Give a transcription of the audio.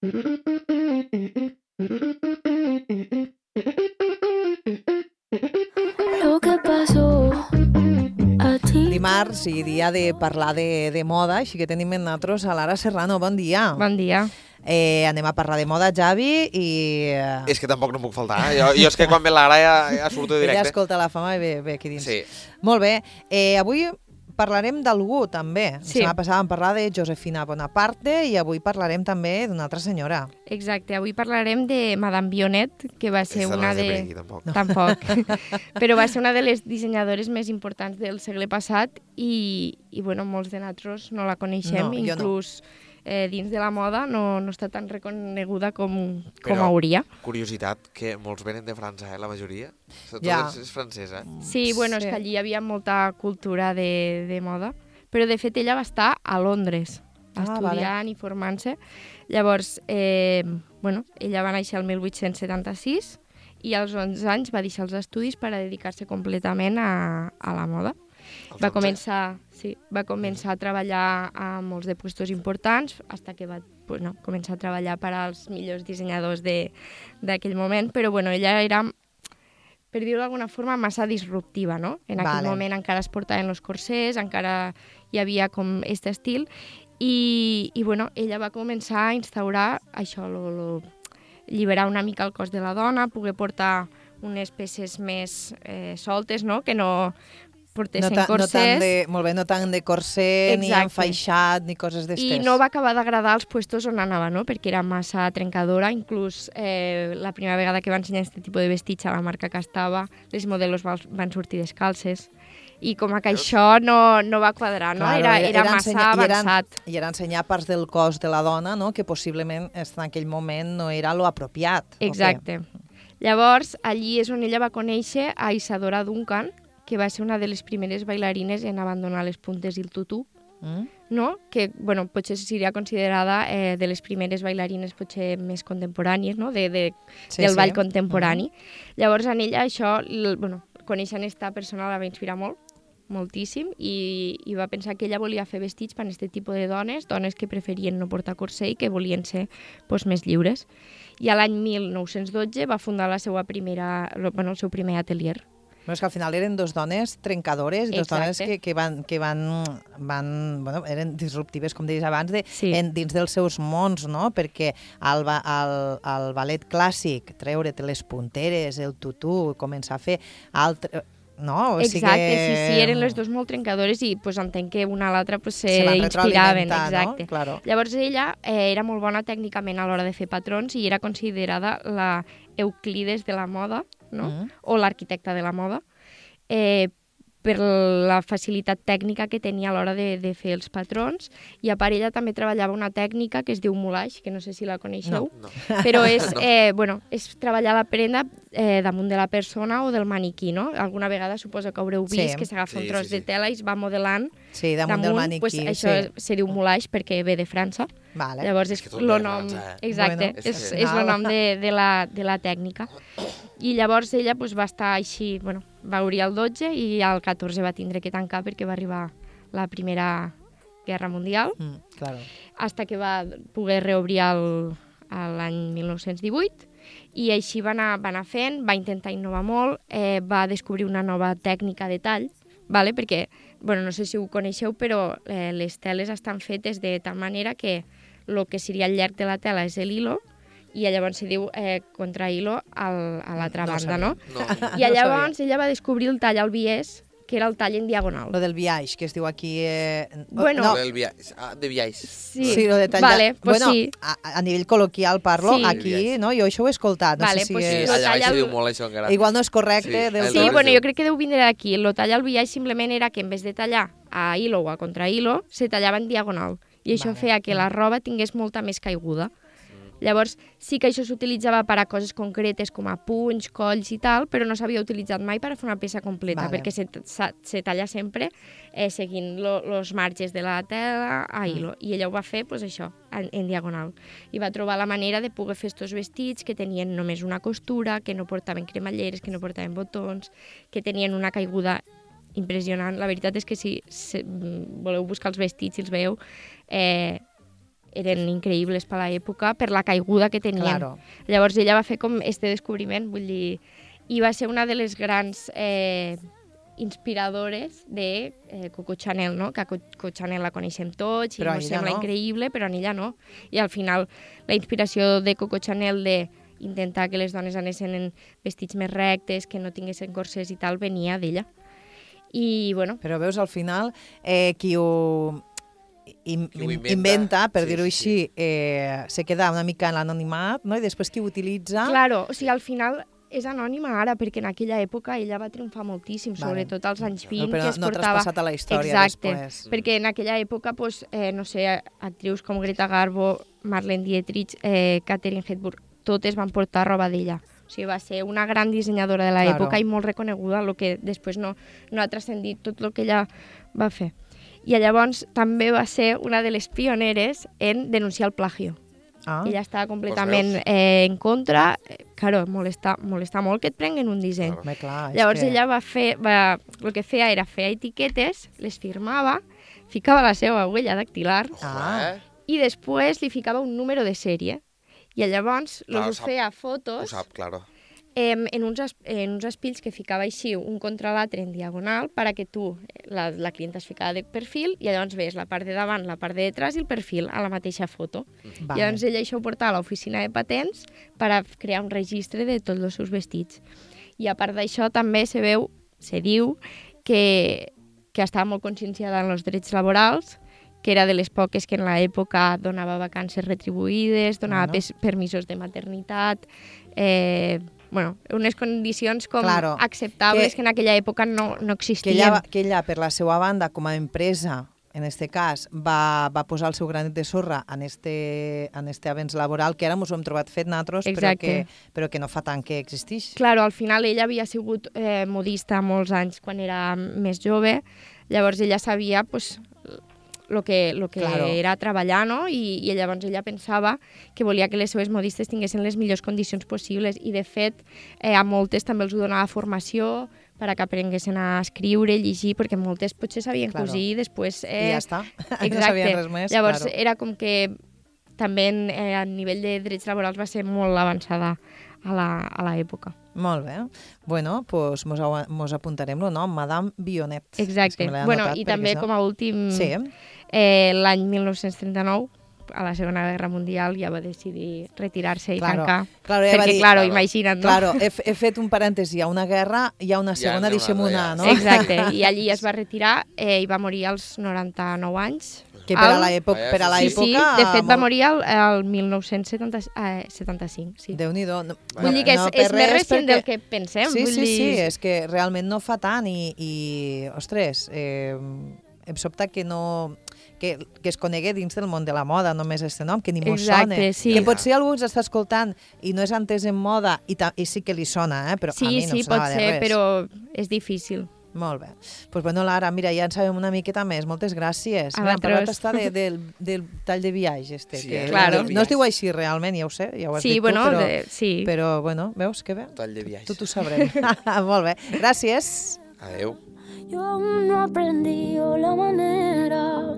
Lo que pasó a ti. Dimarts i dia de parlar de moda, així que tenim amb nosaltres a Lara Serrano. Bon dia. Bon dia. Anem a parlar de moda, Javi, i... És que tampoc no puc faltar. Jo és que quan ve l'Ara ja surto directe. Ella escolta la fama i ve aquí dins. Sí. Molt bé. Avui parlarem d'algú, també. Sí. La setmana passada vam parlar de Josefina Bonaparte i avui parlarem també d'una altra senyora. Exacte, avui parlarem de Madame Vionnet, que va ser Aquesta una no és de de... per aquí, tampoc. Tampoc. Però va ser una de les dissenyadores més importants del segle passat i bueno, molts de nosaltres no la coneixem, No, jo no. inclús dins de la moda no està tan reconeguda com Però- hauria. Curiositat, que molts venen de França, la majoria. Tot Ja. és francesa. Sí, bueno, és Sí. que allí hi havia molta cultura de moda, però de fet ella va estar a Londres estudiant i formant-se. Llavors, bueno, ella va néixer el 1876 i als 11 anys va deixar els estudis per a dedicar-se completament a la moda. Va començar a treballar a molts de puestos importants fins que va començar a treballar per als millors dissenyadors d'aquell moment, però bueno, ella era, per dir-ho d'alguna forma, massa disruptiva, no? En aquell moment encara es portaven els corsers, encara hi havia com aquest estil, i bueno, ella va començar a instaurar això, alliberar una mica el cos de la dona, poder portar unes peces més soltes, no? Que no portessin corsers. No tant de corset, ni Exacte. enfaixat, ni coses d'estes. I no va acabar d'agradar als puestos on anava, no? Perquè era massa trencadora. Inclús la primera vegada que va ensenyar aquest tipus de vestits a la marca que estava, les modelos van sortir descalces. I com que això no va quadrar, no? Claro, Era massa avançat. I era ensenyar parts del cos de la dona, no? Que possiblement en aquell moment no era lo apropiat. Exacte. Llavors, allí és on ella va conèixer a Isadora Duncan, que va ser una de les primeres bailarines en abandonar les puntes i el tutú, no? Que bueno, potser seria considerada de les primeres bailarines potser més contemporànies, no? Del ball contemporani. Llavors, en ella això, coneixent aquesta persona la va inspirar moltíssim, i va pensar que ella volia fer vestits per a aquest tipus de dones que preferien no portar corset i que volien ser més lliures. I a l'any 1912 va fundar el seu primer atelier. Però és que al final eren dos dones trencadores, dos dones que eren disruptives, com deies abans, dins dels seus mons, no? Perquè al ballet clàssic, treure-te les punteres, el tutú, començar a fer no? Exacte, sí, eren les dues molt trencadores i entenc que una a l'altra s'inspiraven. Exacte. No? Claro. Llavors ella era molt bona tècnicament a l'hora de fer patrons i era considerada la Euclides de la moda, no? O l'arquitecta de la moda, per la facilitat tècnica que tenia a l'hora de fer els patrons. I a part ella també treballava una tècnica que es diu moulage, que no sé si la coneixeu, però és, és treballar la prenda damunt de la persona o del maniquí, no? Alguna vegada suposo que haureu vist que s'agafa un tros de tela i es va modelant damunt del maniquí. Això se diu moulage perquè ve de França. Llavors és el nom, exacte, és el nom de la tècnica. I llavors ella va estar així, va obrir el 12 i al 14 va tindre que tancar perquè va arribar la Primera Guerra Mundial, fins que va poder reobrir l'any 1918, i així va anar fent, va intentar innovar molt, va descobrir una nova tècnica de tall, perquè, no sé si ho coneixeu, però les teles estan fetes de tal manera que el que seria el llarg de la tela és l'hilo, i llavors se diu contrahilo a l'altra banda, no? I llavors ella va descobrir el tall al biaix, que era el tall en diagonal. Lo del biaix, que es diu aquí... De biaix. Sí, lo de tallar... sí. A nivell col·loquial parlo, aquí, no? Jo això ho he escoltat. No sé si allà se diu molt això encara. Igual no és correcte. Sí, jo crec que deu vindre d'aquí. El tall al biaix simplement era que en vez de tallar a hilo o a contrahilo, se tallava en diagonal. I això feia que la roba tingués molta més caiguda. Llavors, sí que això s'utilitzava per a coses concretes com a punys, colls i tal, però no s'havia utilitzat mai per a fer una peça completa, perquè se talla sempre seguint els marges de la tela a hilo. I ella ho va fer, això, en diagonal. I va trobar la manera de poder fer estos vestits que tenien només una costura, que no portaven cremalleres, que no portaven botons, que tenien una caiguda impressionant. La veritat és que si voleu buscar els vestits i els veieu, eren increïbles per l'època, per la caiguda que tenien. Claro. Llavors ella va fer com este descobriment, vull dir, i va ser una de les grans inspiradores de Coco Chanel, no? Que Coco Chanel la coneixem tots i Però ens ella sembla no. increïble, però en ella no. I al final la inspiració de Coco Chanel de intentar que les dones anessin en vestits més rectes, que no tinguessin corsers i tal, venia d'ella. I, bueno... Però veus, al final, qui ho inventa, inventa, per sí, dir-ho sí. així, se queda una mica en l'anonimat, no? I després qui ho utilitza... Claro, o sigui, al final és anònima ara, perquè en aquella època ella va triomfar moltíssim, sobretot als anys 20, però que es no portava... traspassat a la història Exacte, després. perquè en aquella època, pues, no sé, actrius com Greta Garbo, Marlene Dietrich, Katharine Hepburn, totes van portar roba d'ella. O sigui, va ser una gran dissenyadora de l'època i molt reconeguda, el que després no ha transcendit tot el que ella va fer. I llavors també va ser una de les pioneres en denunciar el plagio. Ella estava completament en contra. Claro, molesta molt que et prenguen un disseny. Clar, llavors ella el que feia era fer etiquetes, les firmava, ficava la seva huella dactilar i després li ficava un número de sèrie. I llavors us feia fotos... Ho sap, claro. En uns espills que ficava així un contra l'altre en diagonal perquè tu, la clienta es ficava de perfil i llavors veus la part de davant, la part de detrás i el perfil a la mateixa foto. Vale. Llavors ella això ho portava a l'oficina de patents per a crear un registre de tots els seus vestits. I a part d'això també se diu que estava molt conscienciada en els drets laborals, que era de les poques que en l'època donava vacances retribuïdes, donava permisos de maternitat, unes condicions com acceptables que en aquella època no existien. Que ella, per la seva banda, com a empresa, en este cas, va posar el seu granet de sorra en este avenç laboral, que ara ens ho hem trobat fet nosaltres, però que no fa tant que existeix. Claro, al final ella havia sigut modista molts anys quan era més jove, llavors ella sabia el que era treballar, no? I llavors ella pensava que volia que les seves modistes tinguessin les millors condicions possibles i, de fet, a moltes també els donava formació per a que aprenguessin a escriure, llegir, perquè moltes potser sabien cosir i després... I ja està, exacte. No sabien res més. Llavors era com que també a nivell de drets laborals va ser molt avançada a l'època. Molt bé. Bueno, doncs mos apuntarem el nom, Madame Vionnet. Exacte. I també com a últim, l'any 1939, a la Segona Guerra Mundial, ja va decidir retirar-se i tancar. Perquè, imagina't, no? Claro, he fet un parèntesi, hi ha una guerra, hi ha una segona, deixem una, no? Exacte, i allí es va retirar i va morir als 99 anys. Que per a l'època... Sí, de fet va morir el 1975. Sí. Déu-n'hi-do. Vull dir que és més recent del que pensem. Sí, és que realment no fa tant i ostres, em sobta que no... que es conegue dins del món de la moda, només este nom, que ni mos sona. Sí. Que potser algú ens està escoltant i no és entès en moda i sí que li sona, però a mi no em sonava de res. Sí, pot ser, però és difícil. Molt bé. Doncs bueno, Lara, mira, ja en sabem una miqueta més. Moltes gràcies. Hem parlat del tall de viatge. Sí, claro. No es diu així realment, ja ho sé, ja ho has dit tu, però bueno, veus que bé? Tall de viatge. Tot ho sabrem. Molt bé. Gràcies. Adéu. Yo aún no aprendí la manera